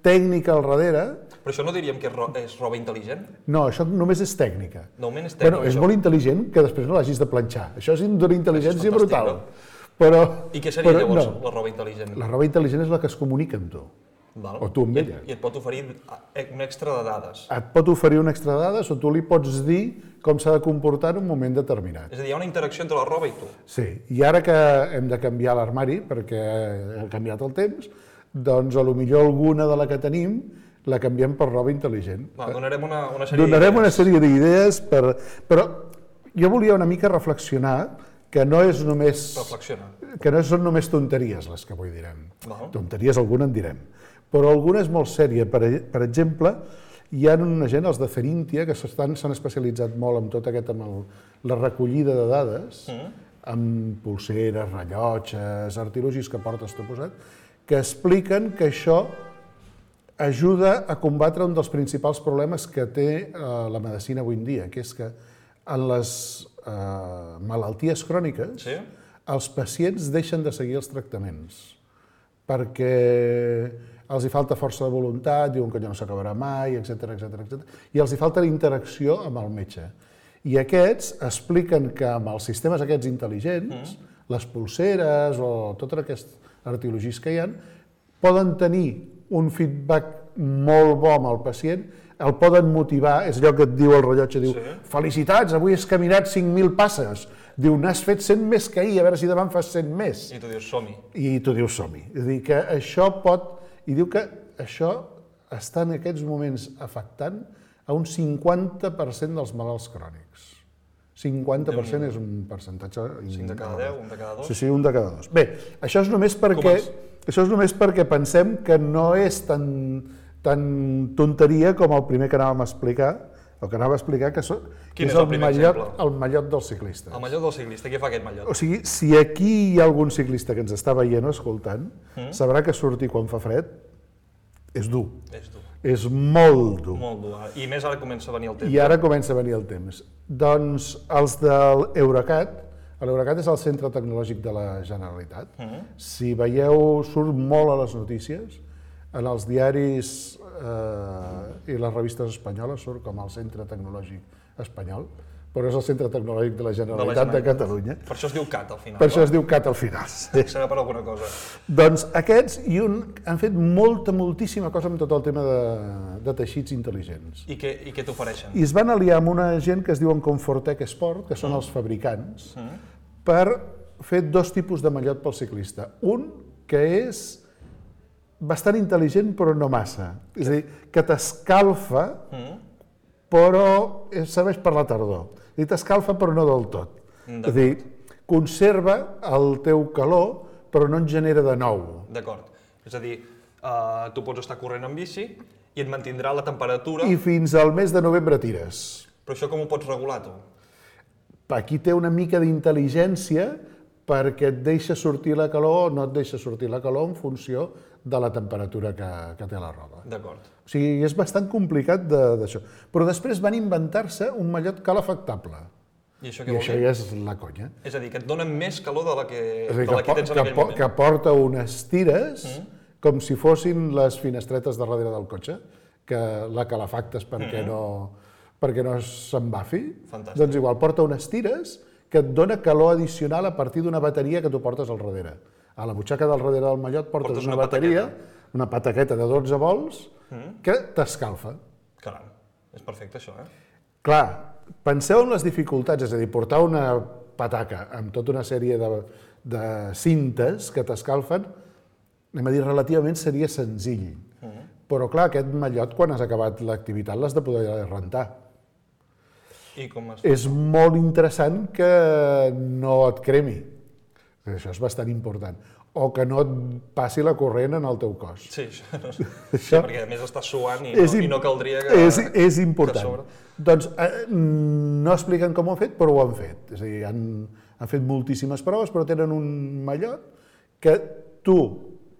tècnica al darrere. Però això no diríem que és roba intel·ligent? No, això només és tècnica. Només és tècnica, És això. molt intel·ligent que després no l'hagis de planxar. Això és d'una intel·ligència Això és fantàstic, brutal. Però, I què seria llavors no. la roba intel·ligent? La roba intel·ligent és la que es comunica amb tu. Val. o tu amb ella. I et pot oferir un extra de dades. Et pot oferir un extra de dades o tu li pots dir com s'ha de comportar en un moment determinat. És a dir, hi ha una interacció entre la roba i tu. Sí, i ara que hem de canviar l'armari, perquè ha canviat el temps, doncs potser alguna de la que tenim la canviem per roba intel·ligent. Donarem una sèrie Donarem una d'idees. sèrie d'idees, però jo volia una mica reflexionar que no és només... Reflexiona. Que no són només tonteries les que avui direm. Val. Tonteries alguna en direm. Però alguna és molt sèria. Per exemple, hi ha una gent, els de Cerintia, que s'han especialitzat molt en tot aquest, la recollida de dades, amb pulseres, rellotges, artilugis que portes tu posat, que expliquen que això ajuda a combatre un dels principals problemes que té la medicina avui en dia, que és que en les malalties cròniques Sí? els pacients deixen de seguir els tractaments perquè els hi falta força de voluntat, diuen que allò no s'acabarà mai, etc. I els hi falta la interacció amb el metge. I aquests expliquen que amb els sistemes aquests intel·ligents, les pulseres o tots aquests artilugis que hi ha, poden tenir un feedback molt bo amb el pacient, el poden motivar, és allò que et diu el rellotge, diu, felicitats, avui has caminat 5.000 passes. Diu, n'has fet 100 més que ahir, a veure si demà en fas 100 més. I tu dius, som-hi. I tu dius, som-hi. És a dir, que això pot... I diu que això està en aquests moments afectant a un 50% dels malalts crònics. 50% és un percentatge... 5 de cada 10, 1 de cada 2. Sí, 1 de cada 2. Bé, això és només perquè pensem que no és tan tonteria com el primer que anàvem a explicar, el que anava a explicar que Quin és és el primer exemple? el mallot dels ciclistes. El mallot del ciclista, què fa aquest mallot? O sigui, si aquí hi ha algun ciclista que ens està veient o escoltant, sabrà que sortir quan fa fred és dur. És dur. És molt dur. Molt dur. I més ara comença a venir el temps. I ara comença a venir el temps. Doncs els de l'Eurecat, l'Eurecat és el centre tecnològic de la Generalitat. Si veieu, surt molt a les notícies, en els diaris i les revistes espanyoles surt com el centre tecnològic espanyol, però és el centre tecnològic de la Generalitat de Catalunya. Per això es diu CAT al final. Per això es diu CAT al final. Sí. Serà per alguna cosa. Doncs aquests han fet moltíssima cosa amb tot el tema de teixits intel·ligents. I què t'ofereixen? I es van aliar amb una gent que es diuen Comfortec Sport, que són els fabricants, per fer dos tipus de mallot pel ciclista. Un que és bastant intel·ligent però no massa. És a dir, que t'escalfa però serveix per la tardor. I t'escalfa però no del tot. És a dir, conserva el teu calor però no en genera de nou. D'acord. És a dir, tu pots estar corrent en bici i et mantindrà la temperatura... I fins al mes de novembre tires. Però això com ho pots regular, tu? Aquí té una mica d'intel·ligència perquè et deixa sortir la calor o no et deixa sortir la calor en funció de la temperatura que té la roba. D'acord. O sigui, és bastant complicat d'això. Però després van inventar-se un mallot calefactable. I això I què vol això dir? ja és la conya. És a dir, que et donen més calor de la que És a dir, tens en aquell moment. que porta unes tires com si fossin les finestretes de darrere del cotxe, que la calefactes perquè no s'embafi. Fantàstic. Doncs igual, porta unes tires que et dona calor addicional a partir d'una bateria que tu portes al darrere. A la butxaca del darrere del mallot portes una bateria, una pataqueta de 12 volts, que t'escalfa. Caram, és perfecte això, Clar, penseu en les dificultats, és a dir, portar una pataca amb tota una sèrie de cintes que t'escalfen, anem a dir, relativament seria senzill. Però clar, aquest mallot, quan has acabat l'activitat, l'has de poder rentar. I com es... És molt interessant que no et cremi. Això és bastant important. O que no et passi la corrent en el teu cos. Sí, això, perquè a més estàs suant i no caldria que... És important. que sobre. Doncs no expliquen com ho han fet, però ho han fet. És a dir, han fet moltíssimes proves, però tenen un mallot que tu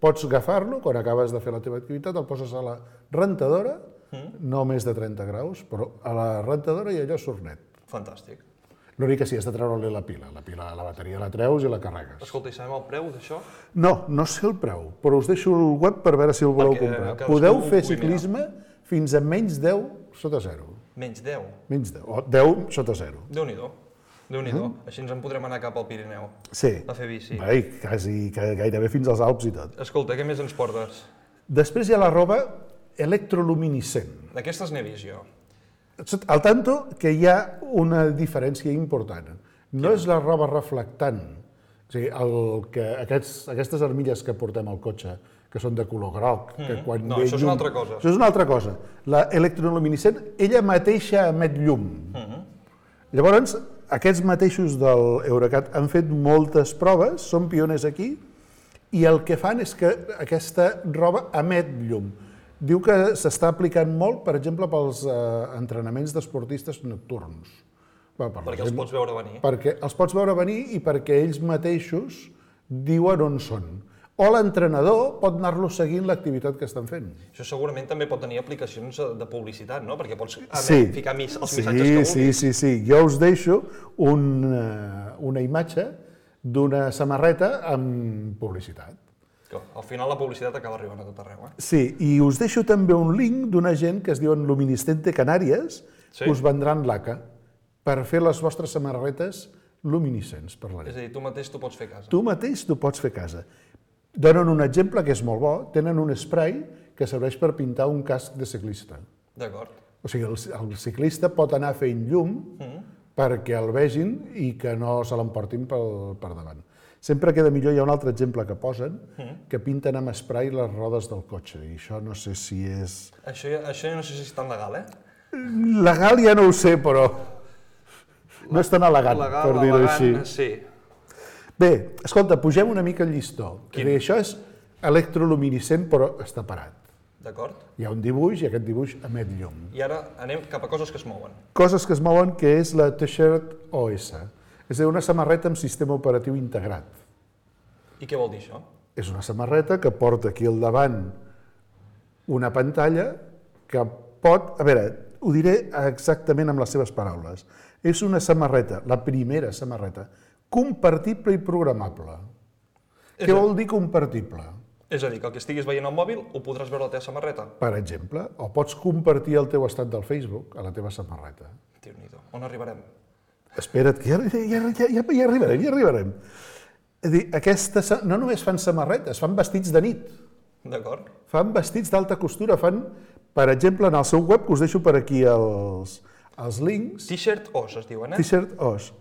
pots agafar-lo quan acabes de fer la teva activitat, el poses a la rentadora, no més de 30 graus, però a la rentadora i allò surt net. Fantàstic. L'únic que sí, has de treure-li la pila. La bateria la treus i la carregues. Escolta, i sabem el preu d'això? No sé el preu, però us deixo el web per veure si el voleu comprar. Podeu fer ciclisme fins a menys 10 sota 0. Menys 10? Menys 10, o 10 sota 0. Déu-n'hi-do. Déu-n'hi-do. Així ens en podrem anar cap al Pirineu. Sí. A fer bici. Bé, gairebé fins als Alps i tot. Escolta, què més ens portes? Després hi ha la roba electroluminescent. D'aquestes n'he vist jo. Al tanto que hi ha una diferència important. No és la roba reflectant. O sigui, aquestes armilles que portem al cotxe, que són de color groc, que quan no, això és una altra cosa. Això és una altra cosa. La electroluminescent, ella mateixa emet llum. Llavors, aquests mateixos del Eurecat han fet moltes proves, són pioners aquí, i el que fan és que aquesta roba emet llum. Diu que s'està aplicant molt, per exemple, pels entrenaments d'esportistes nocturns. Perquè els pots veure venir. Perquè els pots veure venir i perquè ells mateixos diuen on són. O l'entrenador pot anar-los seguint l'activitat que estan fent. Això segurament també pot tenir aplicacions de publicitat, no? Perquè pots ficar els missatges que vulguis. Sí. Jo us deixo una imatge d'una samarreta amb publicitat. Al final la publicitat acaba arribant a tot arreu, Sí, i us deixo també un link d'una gent que es diuen Luminiscente Canàries, que us vendran laca per fer les vostres samarretes luminescents per la nit. És a dir, tu mateix t'ho pots fer a casa. Tu mateix t'ho pots fer a casa. Donen un exemple que és molt bo, tenen un spray que serveix per pintar un casc de ciclista. D'acord. O sigui, el ciclista pot anar fent llum perquè el vegin i que no se l'emportin per davant. Sempre queda millor, hi ha un altre exemple que posen, que pinten amb spray les rodes del cotxe, i això no sé si és... Això ja no sé si és tan legal, Legal ja no ho sé, però no és tan elegant, per dir-ho així. Sí. Bé, escolta, pugem una mica el llistó. Això és electroluminescent, però està parat. D'acord. Hi ha un dibuix i aquest dibuix emet llum. I ara anem cap a coses que es mouen. Coses que es mouen, que és la T-shirt OS. És a dir, una samarreta amb sistema operatiu integrat. I què vol dir això? És una samarreta que porta aquí al davant una pantalla que pot... A veure, ho diré exactament amb les seves paraules. És una samarreta, la primera samarreta, compartible i programable. Què vol dir compartible? És a dir, que el que estiguis veient al mòbil ho podràs veure a la teva samarreta. Per exemple, o pots compartir el teu estat del Facebook a la teva samarreta. Déu-n'hi-do. On arribarem? Espera't, que ja arribarem. És a dir, no només fan samarretes, fan vestits de nit. D'acord. Fan vestits d'alta costura, fan, per exemple, en el seu web, que us deixo per aquí els links. T-shirt OS es diuen, T-shirt OS.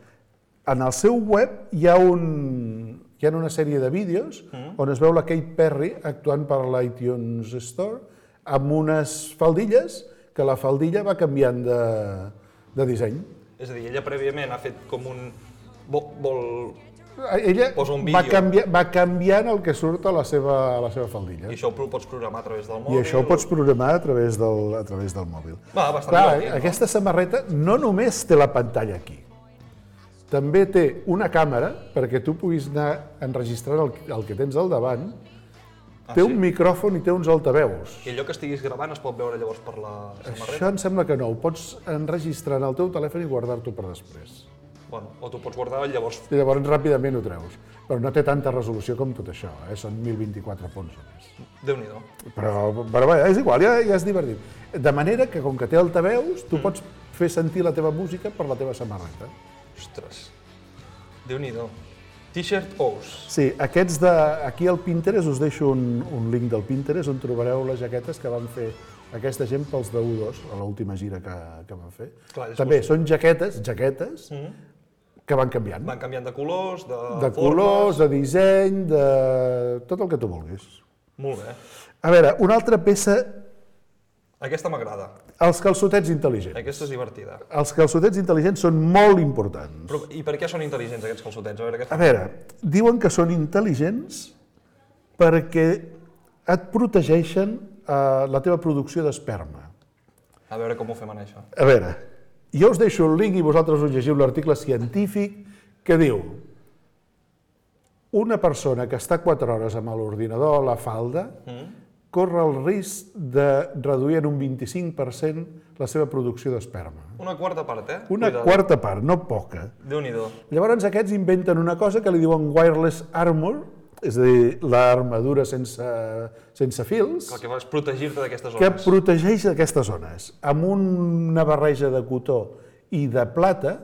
En el seu web hi ha una sèrie de vídeos on es veu la Katy Perry actuant per l'iTunes Store amb unes faldilles que la faldilla va canviant de disseny. És a dir, ella prèviament ha fet com un... Ella posa un vídeo. va canviant el que surt a la seva faldilla. I això ho pots programar a través del mòbil? I això ho pots programar a través del mòbil. Va, bastant divertit, no? Aquesta samarreta no només té la pantalla aquí, també té una càmera perquè tu puguis anar enregistrant el que tens al davant, té un micròfon i té uns altaveus. I allò que estiguis gravant es pot veure llavors per la samarreta? Això em sembla que no, ho pots enregistrar en el teu telèfon i guardar-t'ho per després. Bueno, o t'ho pots guardar i llavors... I llavors ràpidament ho treus. Però no té tanta resolució com tot això, són 1024 punts només. Déu-n'hi-do. Però bé, és igual, ja és divertit. De manera que, com que té altaveus, tu pots fer sentir la teva música per la teva samarreta. Ostres, Déu-n'hi-do. T-shirt Ous. Sí, aquests aquí al Pinterest us deixo un link del Pinterest on trobareu les jaquetes que van fer aquesta gent pels de U2, a l'última gira que van fer. Clar, també són jaquetes que van canviant. Van canviant de colors, de De colors, de disseny, de tot el que tu vulguis. Molt bé. A veure, una altra peça, Aquesta m'agrada. els calçotets intel·ligents. Aquesta és divertida. Els calçotets intel·ligents són molt importants. Però, i per què són intel·ligents aquests calçotets? A veure, diuen que són intel·ligents perquè et protegeixen la teva producció d'esperma. A veure com ho fem en això. A veure, jo us deixo el link i vosaltres us llegiu l'article científic que diu una persona que està 4 hores amb l'ordinador a la falda corre el risc de reduir en un 25% la seva producció d'esperma. Una quarta part, eh? Una quarta part, no poca. Déu-n'hi-do. Llavors aquests inventen una cosa que li diuen wireless armor, és a dir, l'armadura sense fils, El que fa és protegir-te d'aquestes que zones. protegeix aquestes zones. Amb una barreja de cotó i de plata,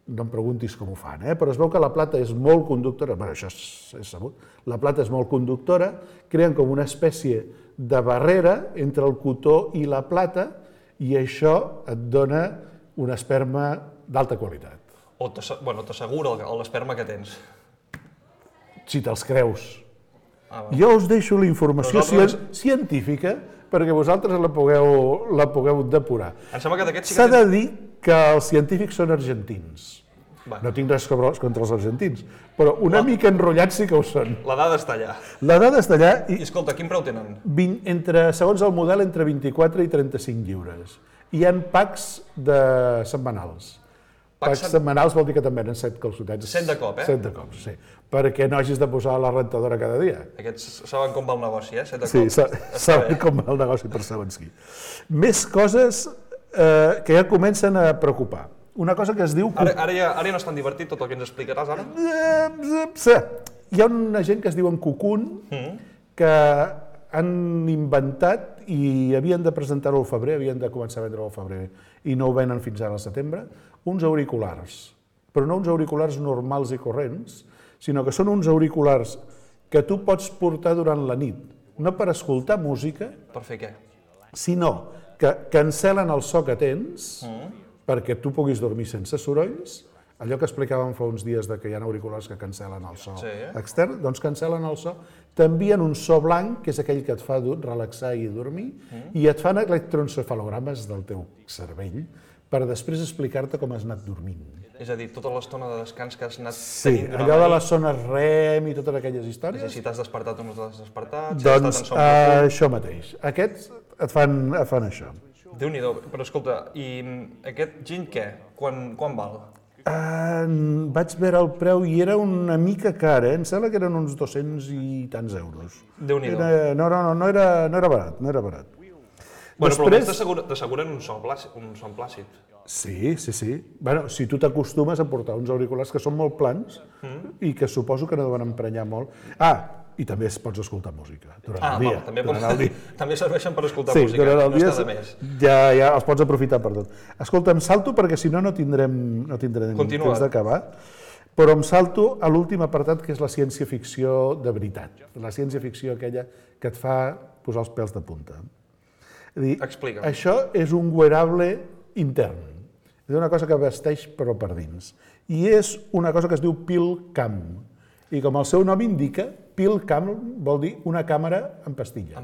no em preguntis com ho fan, però es veu que la plata és molt conductora, bé, això és sabut, la plata és molt conductora, creen com una espècie de barrera entre el cotó i la plata i això et dona un esperma d'alta qualitat. O t'assegura l'esperma que tens. Si te'ls creus. Ah, Jo us deixo la informació Nosaltres- científica perquè vosaltres la pugueu depurar. Em sembla que d'aquests sí S'ha que de dir que els científics són argentins. Va. No tinc res contra els argentins, però una mica enrotllats sí que ho són. La dada està allà. La dada està allà I escolta, quin preu tenen? segons el model, entre 24 i 35 lliures. Hi ha packs setmanals. Packs setmanals vol dir que te'n venen 7 calçotets. 7 de cop, 7 de cop, sí. Perquè no hagis de posar la rentadora cada dia. Aquests saben com va el negoci, 7 de Sí, cop. saben com va el negoci per segons qui. Més coses que ja comencen a preocupar. Una cosa que es diu... Ara ja no és tan divertit tot el que ens explicaràs ara? Hi ha una gent que es diuen Cocoon, que han inventat i havien de presentar-ho al febrer, havien de començar a vendre-ho al febrer i no ho venen fins ara al setembre, uns auriculars. Però no uns auriculars normals i corrents, sinó que són uns auriculars que tu pots portar durant la nit, no per escoltar música, Per fer què? sinó que cancel·len el so que tens perquè tu puguis dormir sense sorolls. Allò que explicàvem fa uns dies de que hi ha auriculars que cancel·len el so extern, doncs cancel·len el so, t'envien un so blanc, que és aquell que et fa relaxar i dormir, i et fan electroencefalogrames del teu cervell per després explicar-te com has anat dormint. És a dir, tota l'estona de descans que has anat Sí, tenint durant allò de la les zones REM i totes aquelles històries. nit, si t'has despertat o no t'has despertat, si has Doncs estat en son profund. això mateix. Aquests et fan això. Déu-n'hi-do, però escolta, i aquest gin què? Quan val? Vaig veure el preu i era una mica car, em sembla que eren uns 200 i tants euros. Déu-n'hi-do. No era barat, no era barat. Bueno, però almenys t'asseguren un son plàcid. Sí. Bueno, si tu t'acostumes a portar uns auriculars que són molt plans i que suposo que no deuen emprenyar molt. I també pots escoltar música durant el dia. També serveixen per escoltar Sí, música, durant el no dia està de més. ja els pots aprofitar per tot. Escolta, em salto perquè si no tindrem temps d'acabar, però em salto a l'últim apartat que és la ciència-ficció de veritat. La ciència-ficció aquella que et fa posar els pèls de punta. Explica'm. Això és un wearable intern. És una cosa que vesteix però per dins. I és una cosa que es diu PillCam. I com el seu nom indica, PillCam vol dir una càmera en pastilla.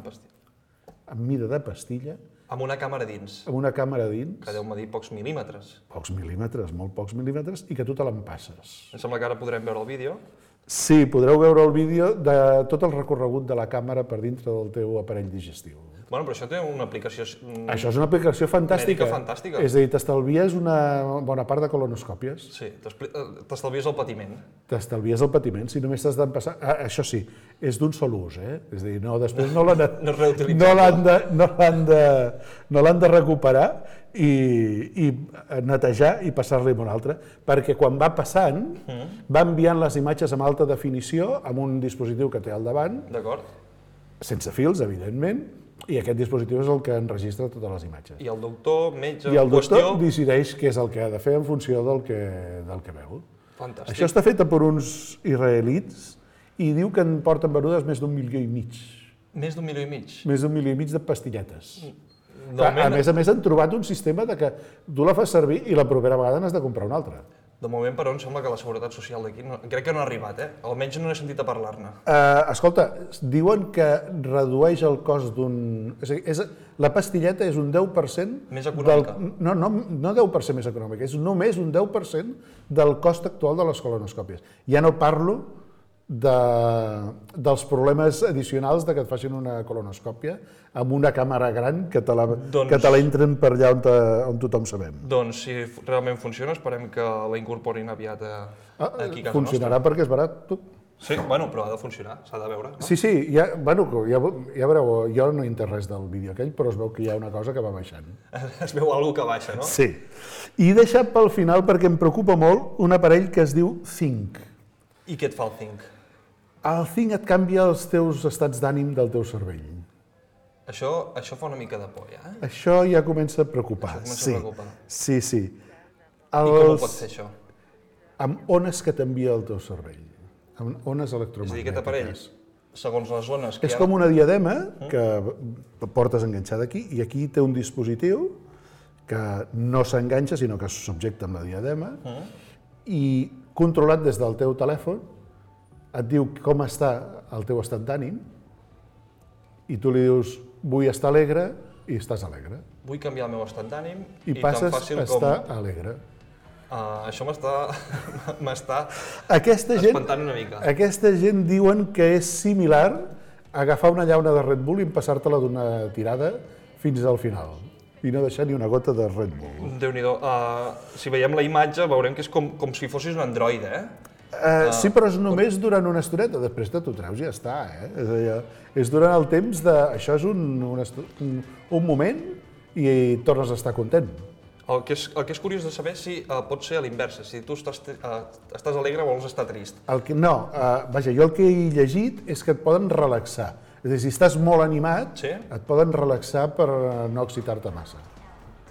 Amb mida de pastilla. Amb una càmera dins. Amb una càmera dins. Que deu medir pocs mil·límetres. Pocs mil·límetres, molt pocs mil·límetres, i que tu te l'empasses. Em sembla que ara podrem veure el vídeo. Sí, podreu veure el vídeo de tot el recorregut de la càmera per dintre del teu aparell digestiu. Bueno, però això té una aplicació... Això és una aplicació fantàstica. Mèdica fantàstica. És a dir, t'estalvies una bona part de colonoscòpies. Sí, t'estalvies el patiment. T'estalvies el patiment, si només t'has d'empassar... Això sí, és d'un sol ús, És a dir, després no l'han de recuperar i netejar i passar-li a un altre, perquè quan va passant va enviant les imatges amb alta definició amb un dispositiu que té al davant, D'acord. sense fils, evidentment, i aquest dispositiu és el que enregistra totes les imatges. I el doctor, metge, I el doctor qüestió... decideix què és el que ha de fer en funció del que veu. Fantàstic. Això està fet per uns israelits i diu que en porten venudes més d'1,5 milió. Més d'1,5 milió. Més d'1,5 milió de pastilletes. De Clar, a moment, més, han trobat un sistema de que tu la fas servir i la propera vegada n'has de comprar una altra. de moment, però, em sembla que la seguretat social d'aquí crec que no ha arribat, Almenys no he sentit a parlar-ne. Escolta, diuen que redueix el cost d'un... És a dir, la pastilleta és un 10%... Més econòmica. No 10% més econòmica, és només un 10% del cost actual de les colonoscòpies. Ja no parlo dels problemes addicionals de que et facin una colonoscòpia amb una càmera gran que te la entren per allà on tothom sabem. Doncs, si realment funciona, esperem que la incorporin aviat aquí a casa Funcionarà perquè és barat, tu. nostra. Sí, bueno, però ha de funcionar, s'ha de veure. No? Sí, ja veureu, jo no he entès res del vídeo aquell, però es veu que hi ha una cosa que va baixant. Es veu alguna que baixa, no? Sí. I he deixat pel final, perquè em preocupa molt, un aparell que es diu Think. I què et fa el Think? El Think et canvia els teus estats d'ànim del teu cervell. Això fa una mica de por, ja? Això ja comença a preocupar. Això comença a preocupar. Sí. I com ho pot fer, això? Amb ones que t'envia el teu cervell. Amb ones És a dir, electromagnètiques. aquest aparell, segons les zones que És hi ha... com una diadema que portes enganxada aquí, i aquí té un dispositiu que no s'enganxa, sinó que es subjecta amb la diadema, i controlat des del teu telèfon, et diu com està el teu estat d'ànim, i tu li dius, vull estar alegre, i estàs alegre. Vull canviar el meu estat d'ànim I tan passes fàcil a estar alegre. Això m'està Aquesta gent, espantant una mica. Aquesta gent diuen que és similar a agafar una llauna de Red Bull i empassar-te-la d'una tirada fins al final. I no deixar ni una gota de Red Bull. Déu-n'hi-do. Si veiem la imatge veurem que és com si fossis un androide, Sí, però és només durant una estoneta, després t'ho treus i ja està. És a dir, és durant el temps de... Això és un moment i tornes a estar content. El que és curiós de saber si pot ser a l'inversa, si tu estàs alegre o vols estar trist. Vaja, jo el que he llegit és que et poden relaxar. És a dir, si estàs molt animat, Sí? et poden relaxar per no excitar-te massa.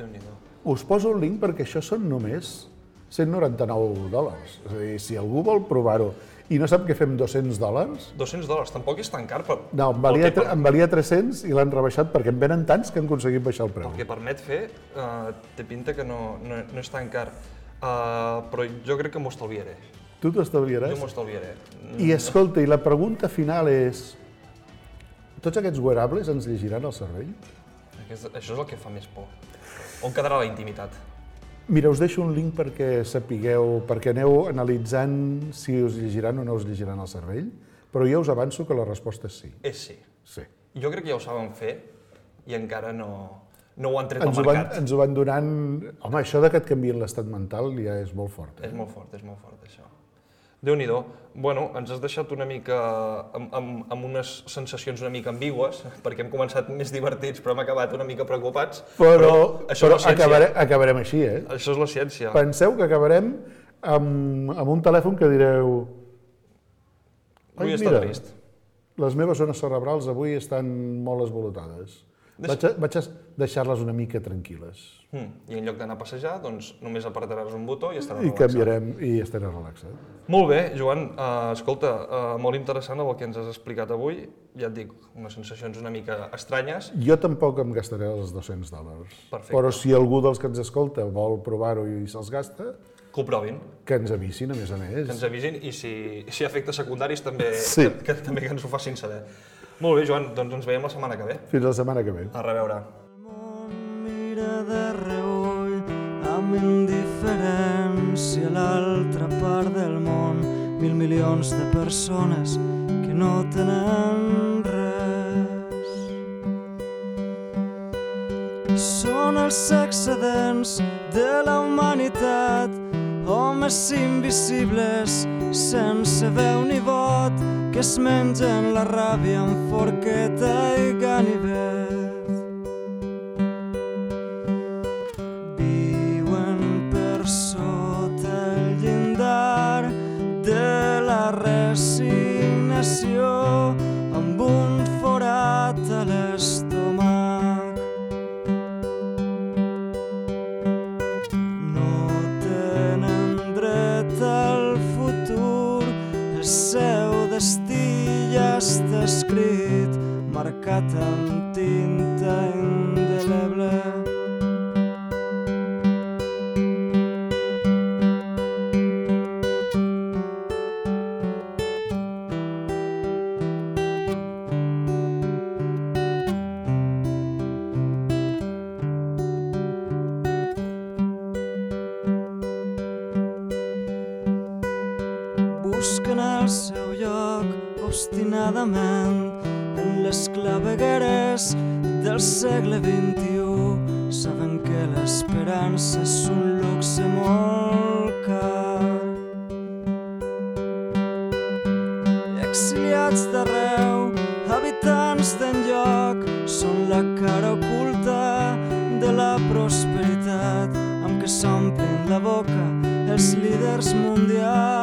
Déu-n'hi-do. Us poso el link perquè això són només $199. És a dir, si algú vol provar-ho i no sap què fem $200... $200, tampoc és tan car, però... No, em valia 300 i l'han rebaixat perquè en venen tants que han aconseguit baixar el preu. El que permet fer, té pinta que no és tan car. Però jo crec que m'ho estalviaré. Tu t'ho estalviaràs? Jo m'ho estalviaré. I escolta, i la pregunta final és... Tots aquests wearables ens llegiran el cervell? Això és el que fa més por. On quedarà la intimitat? Mira, us deixo un link perquè sapigueu, perquè aneu analitzant si us llegiran o no us llegiran el cervell, però jo us avanço que la resposta és sí. És sí. Sí. Jo crec que ja ho saben fer i encara no ho han tret al mercat. Ens ho van donant... Home, això de que et canvien l'estat mental ja és molt fort. És molt fort, això. Déu-n'hi-do. Bueno, ens has deixat una mica amb unes sensacions una mica ambigües, perquè hem començat més divertits, però hem acabat una mica preocupats. Però això és la ciència. acabarem així, Això és la ciència. Penseu que acabarem amb un telèfon que direu... Vull estar trist. Les meves zones cerebrals avui estan molt esvolotades. Vaig a deixar-les una mica tranquil·les. I en lloc d'anar a passejar, doncs només apretaràs un botó i estaràs I relaxat. canviarem i estaré relaxat. Molt bé, Joan. Escolta, molt interessant el que ens has explicat avui. Ja et dic, unes sensacions una mica estranyes. Jo tampoc em gastaré els $200. Perfecte. Però si algú dels que ens escolta vol provar-ho i se'ls gasta, Que ho provin, que ens avisin, a més. que ens avisin i si hi ha efectes secundaris també, Sí. també que ens ho facin saber. Molt bé, Joan, doncs ens veiem la setmana que ve. Fins la setmana que ve. A reveure. Mira de reüll amb indiferència a l'altra part del món, 1.000 milions de persones que no tenen res. Són els excedents de la humanitat, homes invisibles sense veu ni vot, que es mengen la ràbia amb forqueta i ganivet. escrit, marcat amb tinta indeleble. Busquen el seu lloc obstinadament en les clavegueres del segle XXI. Saben que l'esperança és un luxe molt car. Exiliats d'arreu, habitants d'enlloc, són la cara oculta de la prosperitat amb què s'omplen la boca els líders mundials.